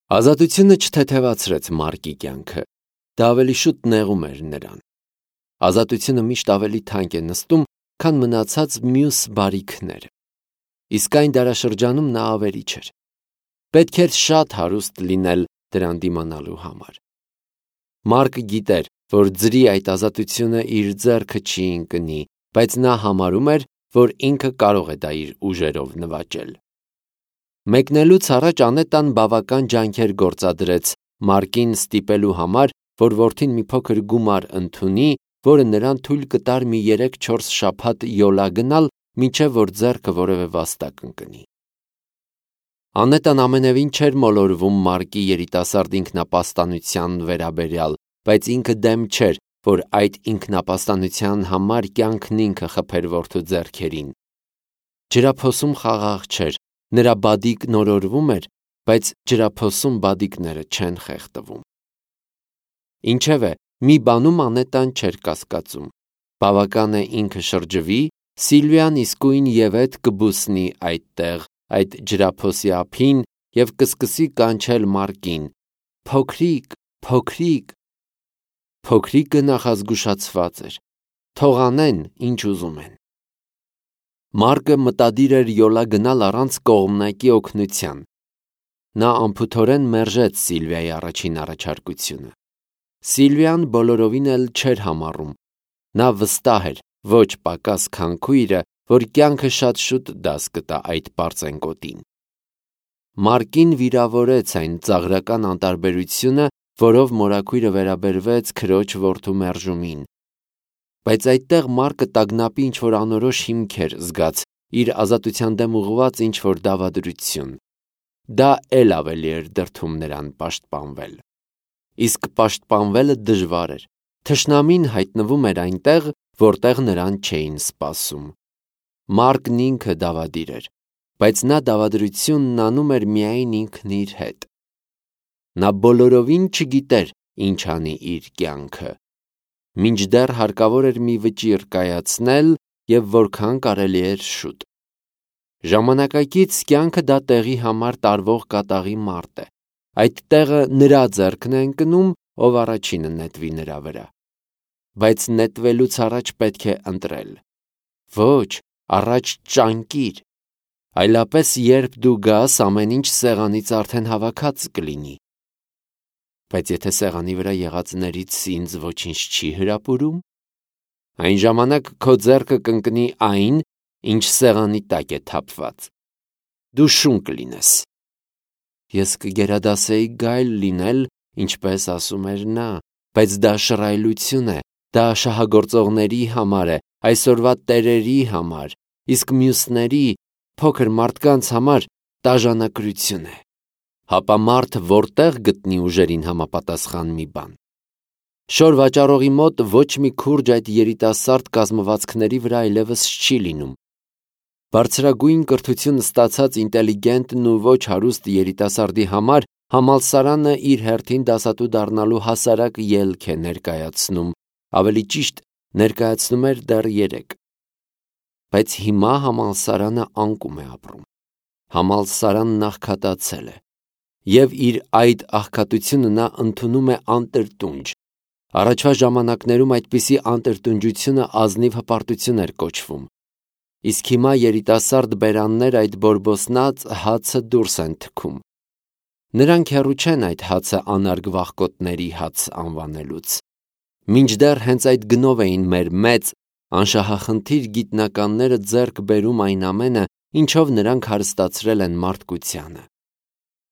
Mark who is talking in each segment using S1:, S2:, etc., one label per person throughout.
S1: Ազատությունը չթեթևացրեց Մարկի կյանքը, դա ավելի շուտ նեղում էր նրան։ Ազատությունը միշտ ավելի թանկ է նստում, քան մնացած մյուս բարիքները։ Իսկ այն դարաշրջանում նա ավերիչ էր։ Պետք էր շատ հարուստ լինել դրան դիմանալու համար։ Մարկը գիտեր, որ ձրի այդ ազատությունը իր ձեռքը չի ընկնի, բայց նա համարում էր, որ ինքը կարող է դա իր ուժերով նվաճել։ Մեկնելուց առաջ Անետան բավական ջանքեր գործադրեց Մարկին ստիպելու համար, որ որդին մի փոքր գումար ընդունի, որը նրան թույլ կտար մի 3-4 շաբաթ յոլա գնալ, մինչև որ ձեռքը որևէ վաստակ ընկնի։ Անետան ամենևին չէր մոլորվում Մարկի երիտասարդ ինքնապաստանության վերաբերյալ, բայց ինքը դեմ չէր, որ այդ ինքնապաստանության համար կյանքն ինքը խփեր որդու ձեռքերին։ Ջրափոսում խաղաղ չէր, նրա բադիկն օրորվում էր, բայց ջրափոսում բադիկները չեն խեղդվում։ Ինչևէ, մի բանում Անետան չէր կասկածում։ Բավական է ինքը շրջվի, Սիլվիան իսկույն ևեթ կբուսնի այդտեղ, այդ ջրափոսի ափին և կսկսի կանչել Մարկին. «Փոքրիկ, փոքրիկ»։ Փոքրիկը նախազգուշացված էր։ Թող անեն, ինչ ուզում են։ Մարկը մտադիր էր յոլա գնալ առանց կողմնակի օգնության։ Նա անփութորեն մերժեց Սիլվիայի առաջին առաջարկությունը։ Սիլվիան բոլորովին էլ չէր համառում։ Նա վստահ էր, ոչ պակաս քան քույրը, որ կյանքը շատ շուտ դաս կտա այդ պարծենկոտին։ Մարկին վիրավորեց այն ծաղրական անտարբերությունը, որով մորաքույրը վերաբերվեց քրոջ որդու մերժումին։ Բայց այդտեղ Մարկը տագնապի ինչ-որ անորոշ հիմք էր զգաց, իր ազատության դեմ ուղղված ինչ-որ դավադրություն։ Դա էլ ավելի էր դրդում նրան պաշտպանվել։ Իսկ պաշտպանվելը դժվար էր։ Թշնամին հայտնվում էր այնտեղ, որտեղ նրան չէին սպասում։ Մարկն ինքը դավադիր էր, բայց նա դավադրությունն անում էր միայն ինքն իր հետ։ Նա բոլորովին չգիտեր, ինչ անի իր կյանքը։ Մինչդեռ հարկավոր էր մի վճիռ կայացնել և որքան կարելի էր շուտ։ Ժամանակակից կյանքը դա տեղի համար տարվող կատաղի մարտ է։ Այդ տեղը նրա ձեռքն է ընկնում, ով առաջինը նետվի նրա վրա։ Բայց նետվելուց առաջ պետք է ընտրել։ Ոչ, առաջ ճանկիր։ Այլապես երբ դու գաս, ամեն ինչ սեղանից արդեն հավաքած կլինի։ Բայց եթե սեղանի վրա եղածներից ինձ ոչինչ չի հրապուրում, այն ժամանակ քո ձեռքը կընկնի այն, ինչ սեղանի տակ է թափված։ Դու շուն կլինես։ Ես կգերադասեի գայլ լինել, ինչպես ասում էր նա, բայց դա շռայլություն է, դա շահագործողների համար է, այսօրվա տերերի համար, իսկ մյուսների, փոքր մարդկանց համար տաժանակրություն է։ Հապա մարդ որտեղ գտնի ուժերին համապատասխան մի բան։ Շոր վաճառողի մոտ ոչ մի քուրջ այդ երիտասարդ կազմվածքների վրա այլևս չի լինում։ Բարձրագույն կրթություն ստացած ինտելիգենտն ու ոչ հարուստ երիտասարդի համար համալսարանը իր հերթին դասատու դառնալու հասարակ ելք է ներկայացնում, ավելի ճիշտ ներկայացնում էր դեռ երեկ։ Բայց հիմա համալսարանը անկում է ապրում։ Համալսարանն աղքատացել է։ Եվ իր այդ աղքատությունը նա ընդունում է անտրտունջ։ Առաջվա ժամանակներում այդպիսի անտրտունջությունը ազնիվ հպարտություն էր կոչվում։ Իսկ հիմա երիտասարդ բերաններ այդ բորբոսնած հացը դուրս են թքում։ Նրանք հեռու չեն այդ հացը անարգ վախկոտների հաց անվանելուց։ Մինչդեռ հենց այդ գնով էին մեր մեծ, անշահախնդիր գիտնականները ձեռք բերում այն ամենը, ինչով նրանք հարստացրել են մարդկությանը։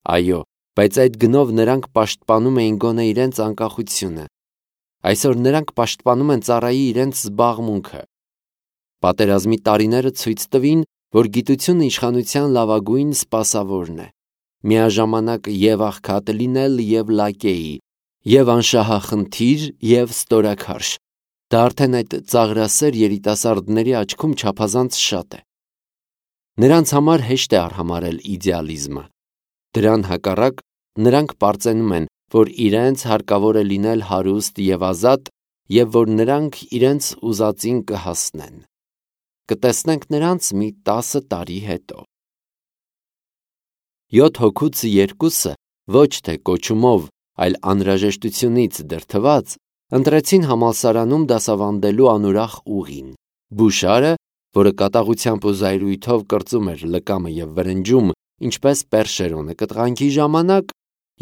S1: Այո, բայց այդ գնով նրանք պաշտպանում էին գոնե իրենց անկախությունը։ Այսօր նրանք պաշտպանում են ծառայի իրենց զբաղմունքը։ Պատերազմի տարիները ցույց տվին, որ գիտությունը իշխանության լավագույն սպասավորն է։ Միաժամանակ և աղքատ լինել և լակեի, և անշահախնդիր և ստորաքարշ։ Դա արդեն այդ ծաղրասեր երիտասարդների աչքում չափազանց շատ է։ Նրանց համար հեշտ է արհամարհել իդեալիզմը։ Դրան հակառակ նրանք պարծենում են, որ իրենց հարկավոր է լինել հարուստ և ազատ, և որ նրանք իրենց ուզածին կհասնեն։ Կտեսնենք նրանց մի 10 տարի հետո։ 7 հոգուց 2-ը ոչ թե կոչումով, այլ անհրաժեշտությունից դրդված, ընտրեցին համալսարանում դասավանդելու անուրախ ուղին։ Բուշարը, որը կատաղությամբ ու զայրույթով կրծում էր լկամը և վրնջում, ինչպես Պերշերոնը կտղանքի ժամանակ,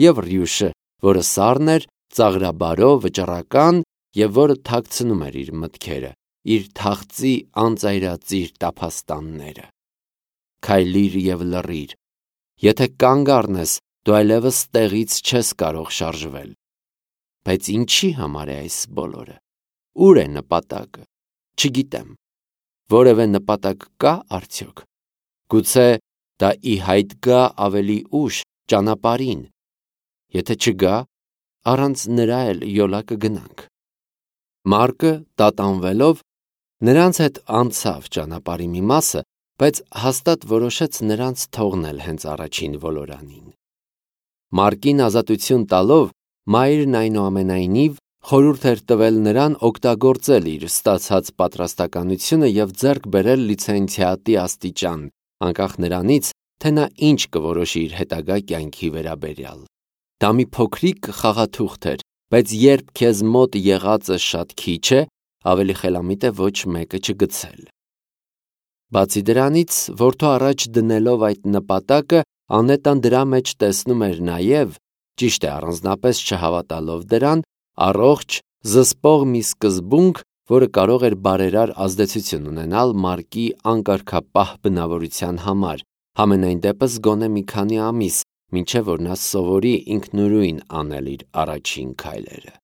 S1: և Ռյուշը, որը սառն էր, ծաղրաբարո, վճռական և որը թաքցնում էր իր մտքերը, իր թախծի անծայրածիր տափաստանները։ Քայլիր և լռիր։ Եթե կանգ առնես, դու այլևս տեղից չես կարող շարժվել։ Բայց ինչի համար է այս բոլորը։ Ուր է նպատակը։ Չգիտեմ։ Որևէ նպատակ կա արդյոք։ Գուցե դա ի հայտ գա ավելի ուշ, ճանապարհին։ Եթե չգա, առանց նրա էլ յոլա կգնանք։ Մարկը, տատանվելով, նրանց հետ անցավ ճանապարհի մի մասը, բայց հաստատ որոշեց նրանց թողնել հենց առաջին ոլորանին։ Մարկին ազատություն տալով, մայրն այնուամենայնիվ խորհուրդ էր տվել նրան օգտագործել իր ստացած պատրաստականությունը և ձեռք բերել լիցենզիատի աստիճան, անկախ նրանից, թե նա ինչ կորոշի իր հետագա կյանքի վերաբերյալ։ Դա մի փոքրիկ խաղաթուղթ էր, բայց երբ քեզ մոտ եղածը շատ քիչ է, ավելի խելամիտ է ոչ մեկը չգցել։ Բացի դրանից, որդու առաջ դնելով այդ նպատակը, Անետան դրա մեջ տեսնում էր նաև, ճիշտ է առանձնապես չհավատալով դրան, առողջ, զսպող մի սկզբունք, որը կարող էր բարերար ազդեցություն ունենալ Մարկի անկարգապահ բնավորության համար, համենայն դեպս գոնե մի քանի ամիս, մինչև որ նա սովորի ինքնուրույն անել իր առաջին քայլերը։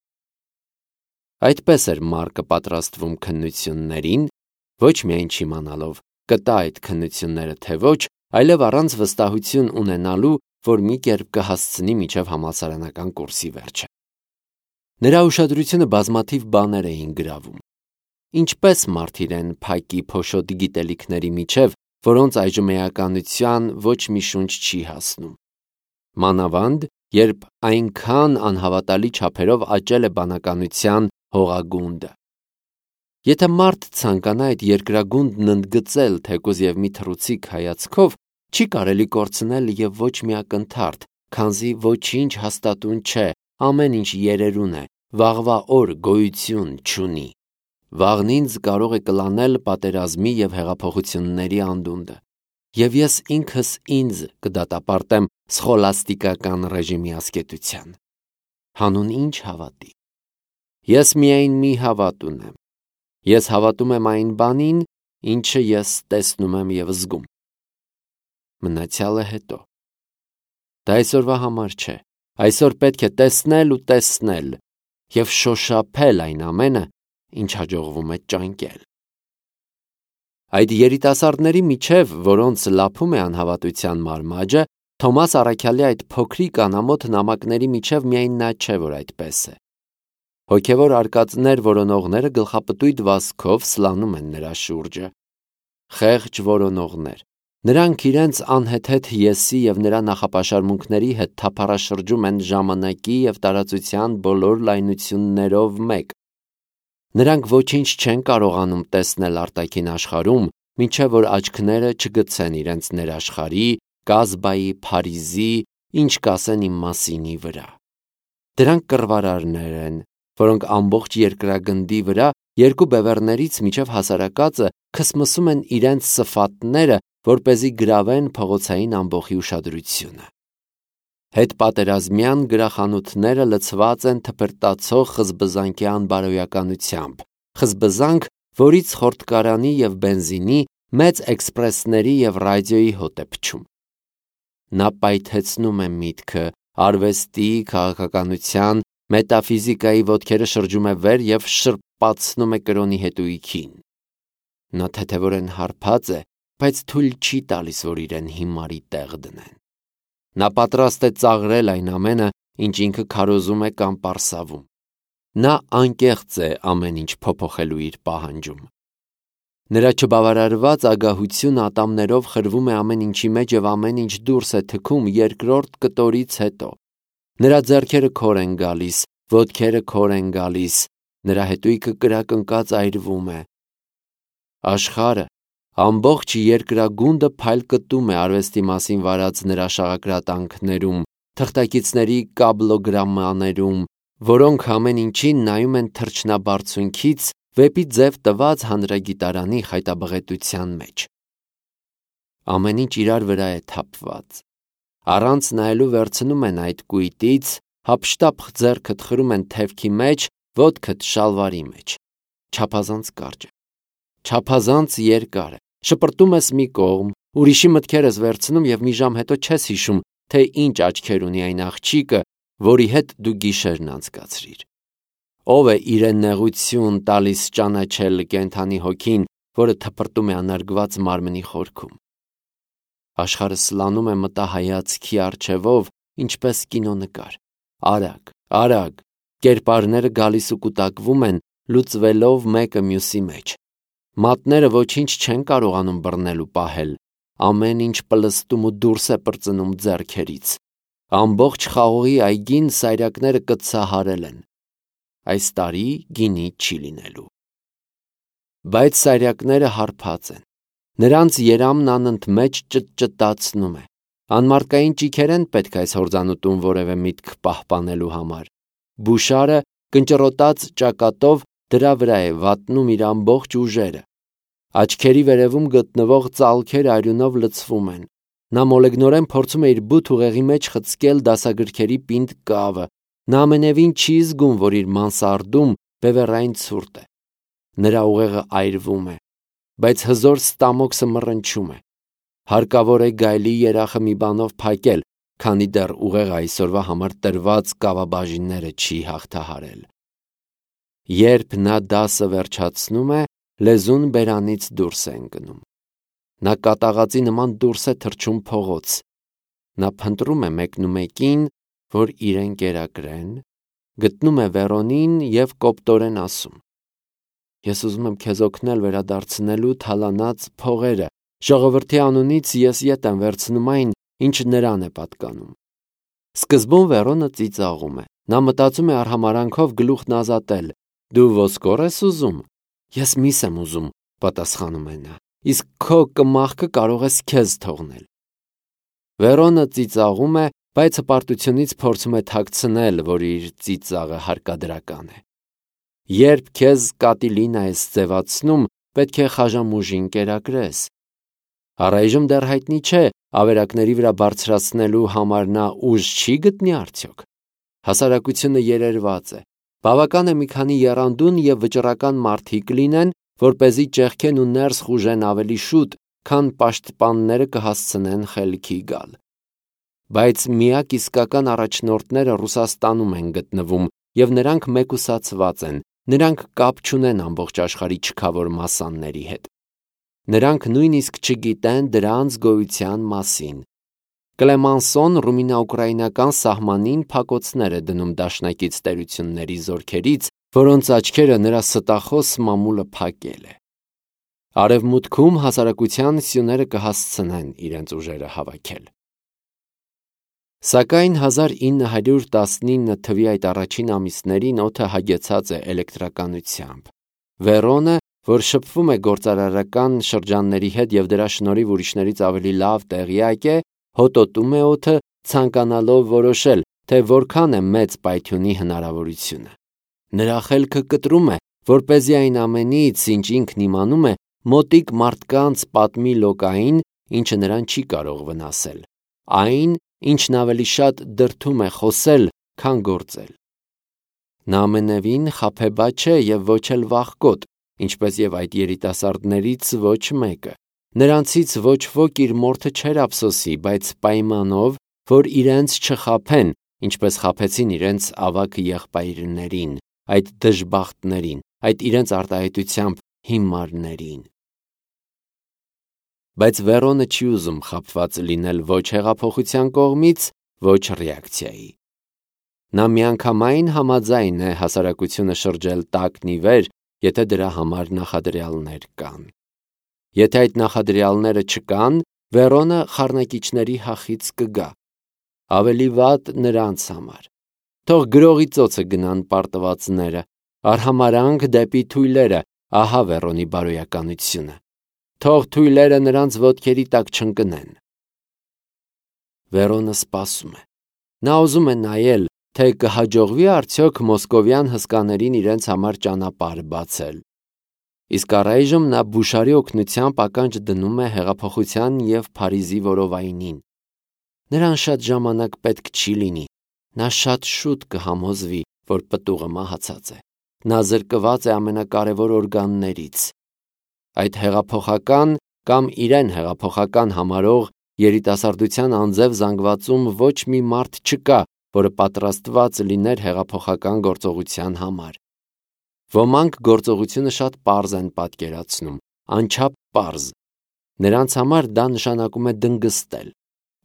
S1: Այդպես էր Մարկը պատրաստվում քննություններին, ոչ միայն չիմանալով կտա այդ քննությունները թե ոչ, այլև առանց վստահություն ունենալու, որ մի կերպ կհասցնի մինչև համալսարանական կուրսի վերջը։ Նրա ուշադրությունը բազմաթիվ բաներ էին գրավում։ Ինչպես մարդ իրեն փակի փոշոտ գիտելիքների միջև, որոնց այժմ էականության ոչ մի շունչ չի հասնում։ Մանավանդ, երբ այնքան անհավատալի չափերով աճել է բանականության հողագունդը։ Եթե մարդ ցանկանա այդ երկրագունդն ընդգծել թեկուզ և մի թռուցիկ հայացքով, չի կարելի կորցնել և ոչ մի ակնթարթ, քանզի ոչինչ հաստատուն չէ, ամեն ինչ երերուն է, վաղվա օր գոյություն չունի։ Վաղն ինձ կարող է կլանել պատերազմի և հեղափոխությունների անդունդը, և ես ինքս ինձ կդատապարտեմ սխոլաստիկական ռեժիմի ասկետության։ Հանուն ինչ հավատի։ Ես միայն մի հավատ ունեմ։ Ես հավատում եմ այն բանին, ինչը ես տեսնում եմ և զգում։ Մնացյալը հետո։ Դա այսօրվա համար չէ։ Այսօր պետք է տեսնել ու տեսնել և շոշափել այն ամենը, ինչ հաջողվում է ճանկել։ Այդ երիտասարդների միջև, որոնց լափում է անհավատության մարմաճը, Թոմաս Առաքյալի այդ փոքրիկ անամոթ նամակների միջև միայն նա չէ, որ այդպես է։ Հոգևոր արկածներ որոնողները գլխապտույտ վազքով սլանում են նրա շուրջը։ Խեղճ որոնողներ։ Նրանք իրենց անհեթեթ եսի և նրա նախապաշարմունքների հետ թափառաշրջում են ժամանակի և տարածության բոլոր լայնություններով մեկ։ Նրանք ոչինչ չեն կարողանում տեսնել արտաքին աշխարհում, մինչև որ աչքները չգցեն իրենց ներաշխարհի, Կազբայի, Փարիզի, ինչ կասեն իմ մասինի վրա։ Դրանք կռվարարներ են, որոնք ամբողջ երկրագնդի վրա երկու բևեռներից մինչև հասարակածը քսմսում են իրենց սֆատները, որպեսզի գրավեն փողոցային ամբոխի ուշադրությունը։ Հետպատերազմյան գրախանութները լցված են թփրտացող խզբզանքի անբարոյականությամբ, խզբզանք, որից խորտկարանի և բենզինի, մեծ էքսպրեսների և ռադիոյի հոտ է փչում։ Նա պայթեցնում է միտքը, արվեստի, քաղաքականության, մետաֆիզիկայի ոտքերը շրջում է վեր և շրպացնում է կրոնի հետույքին։ Նա թեթևորեն հարբած է, բայց թույլ չի տալիս, որ իրեն հիմարի տեղ դնեն։ Նա պատրաստ է ծաղրել այն ամենը, ինչ ինքը քարոզում է կամ պարսավում։ Նա անկեղծ է ամեն ինչ փոփոխելու իր պահանջում։ Նրա չբավարարված ագահությունը ատամներով խրվում է ամեն ինչի մեջ և ամեն ինչ դուրս է թքում երկրորդ կտորից հետո։ Նրա ձեռքերը քոր են գալիս, ոտքերը քոր են գալիս, նրա հետույքը կրակնկած այրվում է։ Աշխարհը, ամբողջ երկրագունդը փայլկտում է արվեստի մասին վարած նրա շաղակրատանքներում, թղթակիցների կաբլոգրամաներում, որոնք ամեն ինչին նայում են թռչնաբարձունքից վեպի ձև տված հանրագիտարանի խայտաբղետության մեջ։ Ամեն ինչ իրար վրա է թափված։ Առանց նայելու վերցնում են այդ կույտից, հափշտապ ձեռքդ խրում են թևքի մեջ, ոտքդ շալվարի մեջ։ Չափազանց կարճ է, չափազանց երկար է, շպրտում ես մի կողմ, ուրիշի մտքեր ես վերցնում և մի ժամ հետո չես հիշում, թե ինչ աչքեր ունի այն աղջիկը, որի հետ դու գիշերն անցկացրիր։ Ով է իրեն նեղություն տալիս ճանաչել կենդանի հոգին, որը թփրտում է անարգված մարմնի խորքում։ Աշխարհը սլանում է մտահայացքի առջևով, ինչպես կինոնկար։ Արագ, արագ, կերպարները գալիս ու կուտակվում են, լուծվելով մեկը մյուսի մեջ։ Մատները ոչինչ չեն կարողանում բռնել ու պահել, ամեն ինչ պլստում ու դուրս է պրծնում ձեռքերից։ Ամբողջ խաղողի այգին սայրակները կծահարել են։ Այս տարի գինի չի լինելու։ Բայց սայրակները հարբած են։ Նրանց երամն անընդմեջ ճտճտացնում է։ Անմարդկային ճիգեր են պետք այս հորձանուտում որևէ միտք պահպանելու համար։ Բուշարը կնճռոտած ճակատով դրա վրա է վատնում իր ամբողջ ուժերը։ Աչքերի վերևում գտնվող ծալքերը արյունով լցվում են։ Նա մոլեգնորեն փորձում է իր բութ ուղեղի մեջ խցկել դասագրքերի պինդ կավը։ Նա ամենևին չի զգում, որ իր մանսարդում բևեռային ցուրտ է։ Նրա ուղեղը այրվում է, բայց հզոր ստամոքսը մռնչում է։ Հարկավոր է գայլի երախը մի բանով փակել, քանի դեռ ուղեղը այսօրվա համար տրված կավաբաժինները չի հաղթահարել։ Երբ նա դասը վերջացնում է, լեզուն բերանից դուրս է ընկնում։ Նա կատաղածի նման դուրս է թռչում փողոց։ Նա փնտրում է մեկնումեկին, որ իրեն կերակրեն, գտնում է Վերոնին և կոպտորեն ասում. Ես ուզում եմ քեզ օգնել վերադարձնելու թալանած փողերը, ժողովրդի անունից ես ետ եմ վերցնում այն, ինչ նրան է պատկանում։ Սկզբում Վերոնը ծիծաղում է։ Նա մտածում է արհամարանքով գլուխն ազատել։ Դու ոսկոր ես ուզում։ Ես միս եմ ուզում, պատասխանում է նա, իսկ քո կմախքը կարող ես քեզ թողնել։ Վերոնը ծիծաղում է, բայց հպարտությունից փորձում է թաքցնել, որ իր ծիծաղը հարկադրական է։ Երբ քեզ կատիլինա ես ձևացնում, պետք է խաժամուժին կերակրես։ Առայժմ դեռ հայտնի չէ, ավերակների վրա բարձրացնելու համար նա ուժ չի գտնի արդյոք։ Հասարակությունը երերված է։ Բավական է մի քանի եռանդուն և վճռական մարդիկ լինեն, որպեսզի ճեղքեն ու ներս խուժեն ավելի շուտ, քան պաշտպանները կհասցնեն խելքի գալ։ Բայց միակ իսկական առաջնորդները Ռուսաստանում են գտնվում, և նրանք մեկուսացված են, նրանք կապ չունեն ամբողջ աշխարհի չքավոր մասանների հետ։ Նրանք նույնիսկ չգիտեն դրանց գոյության մասին։ Կլեմանսոն ռումինա-ուկրաինական սահմանին փակոցներ է դնում դաշնակից տերությունների զորքերից, որոնց աչքերը նրա ստախոս մամուլը փակել է։ Արևմուտքում հասարակության սյուները կհասցնեն իրենց ուժերը հավաքել։ Սակայն 1919 թվի այդ առաջին ամիսներին օդը հագեցած է էլեկտրականությամբ։ Վերոնը, որ շփվում է գործարարական շրջանների հետ և դրա շնորհիվ ուրիշներից ավելի լավ տեղյակ է, հոտոտում է օդը, ցանկանալով որոշել, թե որքան է մեծ պայթյունի հնարավորությունը։ Նրա խելքը կտրում է, որպեսզի այն ամենից, ինչ ինքն իմանում է, մոտիկ մարդկանց պատմի լոկային, ինչը նրան չի կարող վնասել, այն, ինչն ավելի շատ դրդում է խոսել, քան գործել։ Նա ամենևին խաբեբա չէ և ոչ էլ վախկոտ, ինչպես և այդ երիտասարդներից ոչ մեկը։ Նրանցից ոչ ոք իր մորթը չէր ափսոսի, բայց պայմանով, որ իրենց չխաբեն, ինչպես խաբեցին իրենց ավագ եղբայրներին, այդ դժբախտներին, այդ իրենց արտահայտությամբ հիմարներին։ Բայց Վերոնը չի ուզում խաբված լինել ոչ հեղափոխության կողմից, ոչ ռեակցիայի։ Նա միանգամայն համաձայն է հասարակությունը շրջել տակն ի վեր, եթե դրա համար նախադրյալներ կան։ Եթե այդ նախադրյալները չկան, Վերոնը խառնակիչների հախից կգա։ Ավելի վատ նրանց համար։ Թող գրողի ծոցը գնան պարտվածները, արհամարանք դեպի թույլերը, ահա Վերոնի բարոյականությունը։ Թող թույլերը նրանց ոտքերի տակ չընկնեն։ Վերոնը սպասում է։ Նա ուզում է նայել, թե կհաջողվի արդյոք մոսկովյան հսկաներին իրենց համար ճանապարհ բացել։ Իսկ առայժմ նա Բուշարի օգնությամբ ականջ դնում է հեղափոխության և Փարիզի որովայնին։ Նրան շատ ժամանակ պետք չի լինի, նա շատ շուտ կհամոզվի, որ պտուղը մահացած է։ Նա զրկված է ամենակարևոր օրգաններից։ Այդ հեղափոխական կամ իրեն հեղափոխական համարող երիտասարդության անձև զանգվածում ոչ մի մարդ չկա, որը պատրաստված լիներ հեղափոխական գործողության համար։ Ոմանք գործողությունը շատ պարզ են պատկերացնում, անչափ պարզ։ Նրանց համար դա նշանակում է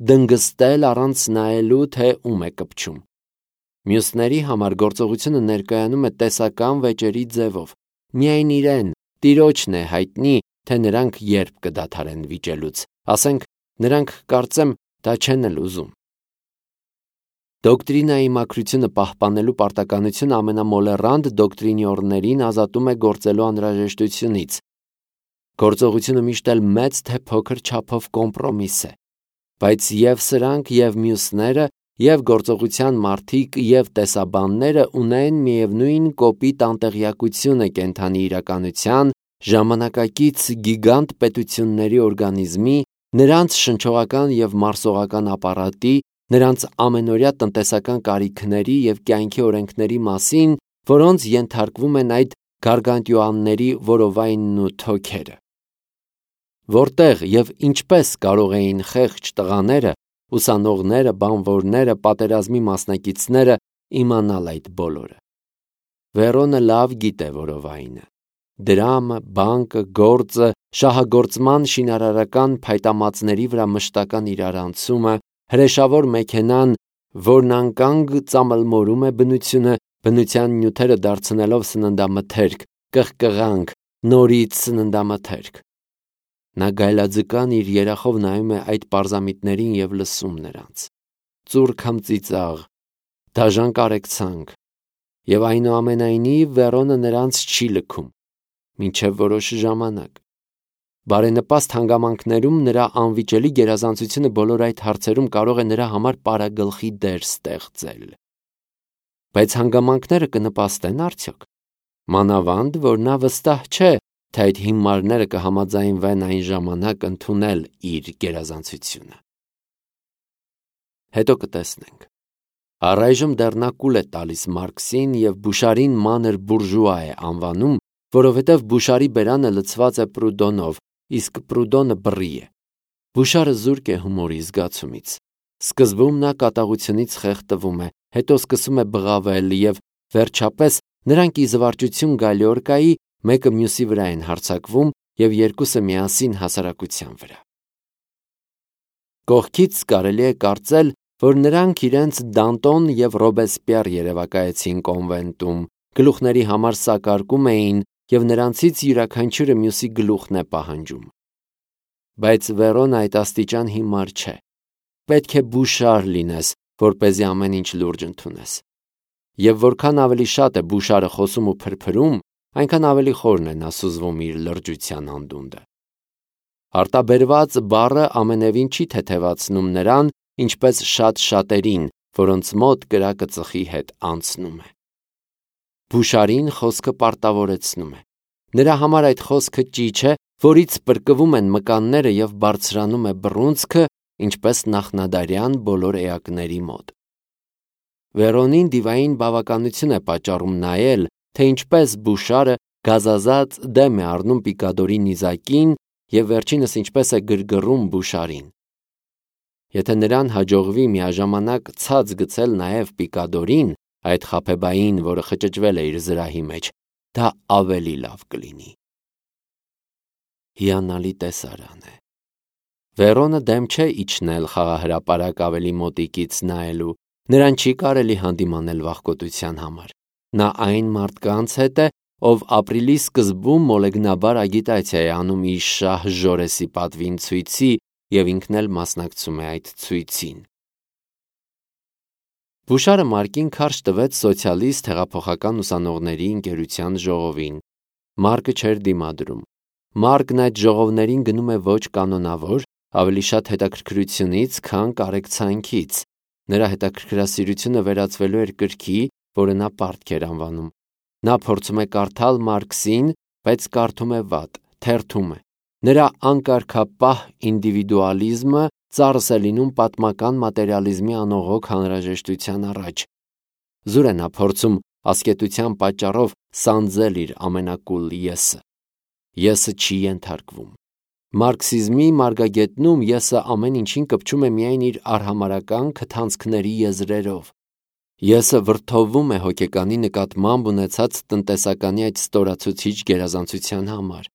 S1: դնգստել առանց նայելու, թե ում է կպչում։ Մյուսների համար գործողությունը ներկայանում է տեսական վեճերի ձևով։ Միայն իրեն, Տիրոջն է հայտնի, թե նրանք երբ կդադարեն վիճելուց, ասենք, նրանք կարծեմ դա չեն էլ ուզում։ Դոկտրինայի մաքրությունը պահպանելու պարտականությունը ամենամոլեռանդ դոկտրինյորներին ազատում է գործելու անհրաժեշտությունից։ Գործողությունը միշտ էլ մեծ թե փոքր չափով կոմպրոմիս է, բայց և սրանք, և մյուսները, և գործողության մարդիկ, և տեսաբանները ունեն միևնույն կոպիտ անտեղյակությունը կենդանի իրականության, ժամանակակից գիգանտ պետությունների օրգանիզմի, նրանց շնչողական և մարսողական ապարատի, նրանց ամենօրյա տնտեսական կարիքների և կյանքի օրենքների մասին, որոնց ենթարկվում են այդ գարգանտյուանների որովայնն ու թոքերը։ Որտեղ և ինչպես կարող էին խեղճ տղաները, ուսանողները, բանվորները, պատերազմի մասնակիցները իմանալ այդ բոլորը։ Վերոնը լավ գիտե որովայնը։ Դրամը, բանկը, գործը, շահագործման շինարարական փայտամածների վրա մշտական իրարանցումը, հրեշավոր մեքենան, որն անկանգ ծամլմորում է բնությունը, բնության նյութերը դարձնելով սննդամթերք, կղկղանք, նորից սննդամթերք։ Նա գայլաձկան իր երախով նայում է այդ պարզամիտներին և լսում նրանց։ Ծուռ քմծիծաղ, դաժան կարեկցանք, և այնուամենայնիվ Վերոնը նրանց չի լքում, մինչև որոշ ժամանակ։ Բարենպաստ հանգամանքներում նրա անվիճելի գերազանցությունը բոլոր այդ հարցերում կարող է նրա համար պարագլխի դեր ստեղծել։ Բայց հանգամանքները կնպաստեն արդյոք։ Մանավանդ, որ նա վստահ չէ, թե այդ հիմարները կհամաձայնվեն այն ժամանակ ընդունել իր գերազանցությունը։ Հետո կտեսնենք։ Առայժմ դեռ նա կուլ է տալիս Մարքսին և Բուշարին մանր բուրժուա է անվանում, որովհետև Բուշարի բերանը լցված է Պրուդոնով, իսկ Պրուդոնը բռի է։ Բուշարը զուրկ է հումորի զգացումից։ Սկզբում նա կատաղությունից խեղդվում է, հետո սկսում է բղավել և, վերջապես, նրանք ի զվարճություն Գալիորկայի մեկը մյուսի վրա են հարձակվում և երկուսը միասին հասարակության վրա։ Կողքից կարելի է կարծել, որ նրանք իրենց Դանտոն և Ռոբեսպիեր երևակայեցին կոնվենտում, գլուխների համար սակարկում էին և նրանցից յուրաքանչյուրը մյուսի գլուխն է պահանջում։ Բայց Վերոնը այդ աստիճան հիմար չէ։ Պետք է Բուշար լինես, որպեսզի ամեն ինչ լուրջ ընդունես։ Եվ որքան ավելի շատ է Բուշարը խոսում ու փրփրում, այնքան ավելի խորն է նա սուզվում իր լրջության անդունդը։ Արտաբերված բառը ամենևին չի թեթևացնում նրան, ինչպես շատ շատերին, որոնց մոտ կրակը ծխի հետ անցնում է։ Բուշարին խոսքը պարտավորեցնում է։ Նրա համար այդ խոսքը ճիչ է, որից պրկվում են մկանները և բարձրանում է բռունցքը, ինչպես նախնադարյան բոլոր էակների մոտ։ Վերոնին դիվային բավականություն է պատճառում նայել, թե ինչպես Բուշարը գազազած դեմ է առնում Պիկադորի նիզակին և վերջինս ինչպես է գրգռում Բուշարին։ Եթե նրան հաջողվի միաժամանակ ցած գցել նաև Պիկադորին, այդ խաբեբային, որը խճճվել է իր զրահի մեջ, դա ավելի լավ կլինի։ Հիանալի տեսարան է։ Վերոնը դեմ չէ իջնել խաղահրապարակ ավելի մոտիկից նայելու, նրան չի կարելի հանդիմանել վախկոտության համար։ Նա այն մարդկանց հետ է, ով ապրիլի սկզբում մոլեգնաբար ագիտացիա է անում իր շահ Ժորեսի պատվին ցույցի և ինքն էլ մասնակցում է այդ ցույցին։ Բուշարը Մարկին քարշ տվեց սոցիալիստ հեղափոխական ուսանողների ընկերության ժողովին։ Մարկը չէր դիմադրում։ Մարկն այդ ժողովներին գնում է ոչ կանոնավոր, ավելի շատ հետաքրքրությունից, քան կարեկցանքից։ Նրա հետաքրքրասիրությունը վերածվելու էր կրքի, որը նա պարտք էր անվանում։ Նա փորձում է կարդալ Մարքսին, բայց կարդում է վատ, թերթում է։ Նրա անկարգապահ ինդիվիդուալիզմը ծառս է լինում պատմական մատերիալիզմի անողոք հանրաժեշտության առաջ։ Զուր է նա փորձում ասկետության պատճառով սանձել իր ամենակուլ եսը։ Եսը չի ենթարկվում։ Մարքսիզմի մարգագետնում եսը ամեն ինչին կպչում է միայն իր արհամարհական քթանցքների եզրերով։ Եսը վրդովվում է հոգեկանի նկատմամբ ունեցած տնտեսականի այդ ստորացուցիչ գերազանցության համար։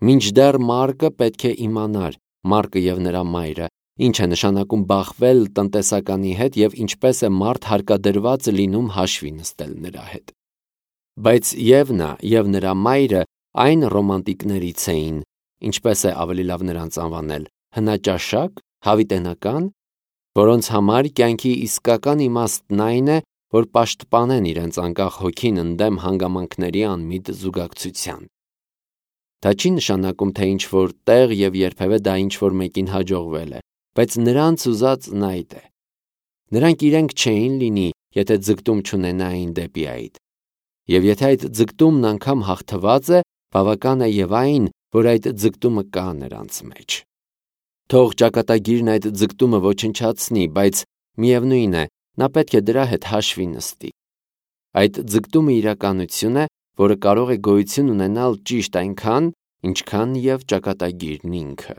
S1: Մինչդեռ Մարկը պետք է իմանար, Մարկը եւ նրա մայրը, ինչ է նշանակում բախվել տնտեսականի հետ եւ ինչպես է մարդ հարկադրված լինում հաշվի նստել նրա հետ։ Բայց եւ նա եւ նրա մայրը այն ռոմանտիկներից էին, ինչպես է ավելի լավ նրանց անվանել, հնաճաշակ, հավիտենական, որոնց համար կյանքի իսկական իմաստն այն է, որ պաշտպանեն իրենց անկախ հոգին ընդդեմ հանգամանքների անմիտ զուգակցության։ Դա չի նշանակում, թե ինչ-որ տեղ եւ երբևէ դա ինչ-որ մեկին հաջողվել է, բայց նրանց ուզածն այդ է։ Նրանք իրենք չէին լինի, եթե ձգտում չունենային դեպի այդ։ Եվ եթե այդ ձգտումն անգամ հաղթված է, բավական է եւ այն, որ այդ ձգտումը կա նրանց մեջ։ Թող ճակատագիրն այդ ձգտումը ոչնչացնի, բայց միևնույն է, նա պետք է դրա հետ հաշվի նստի։ Այդ ձգտումը իրականություն է, որը կարող է գոյություն ունենալ ճիշտ այնքան, ինչքան եւ ճակատագիրն ինքը։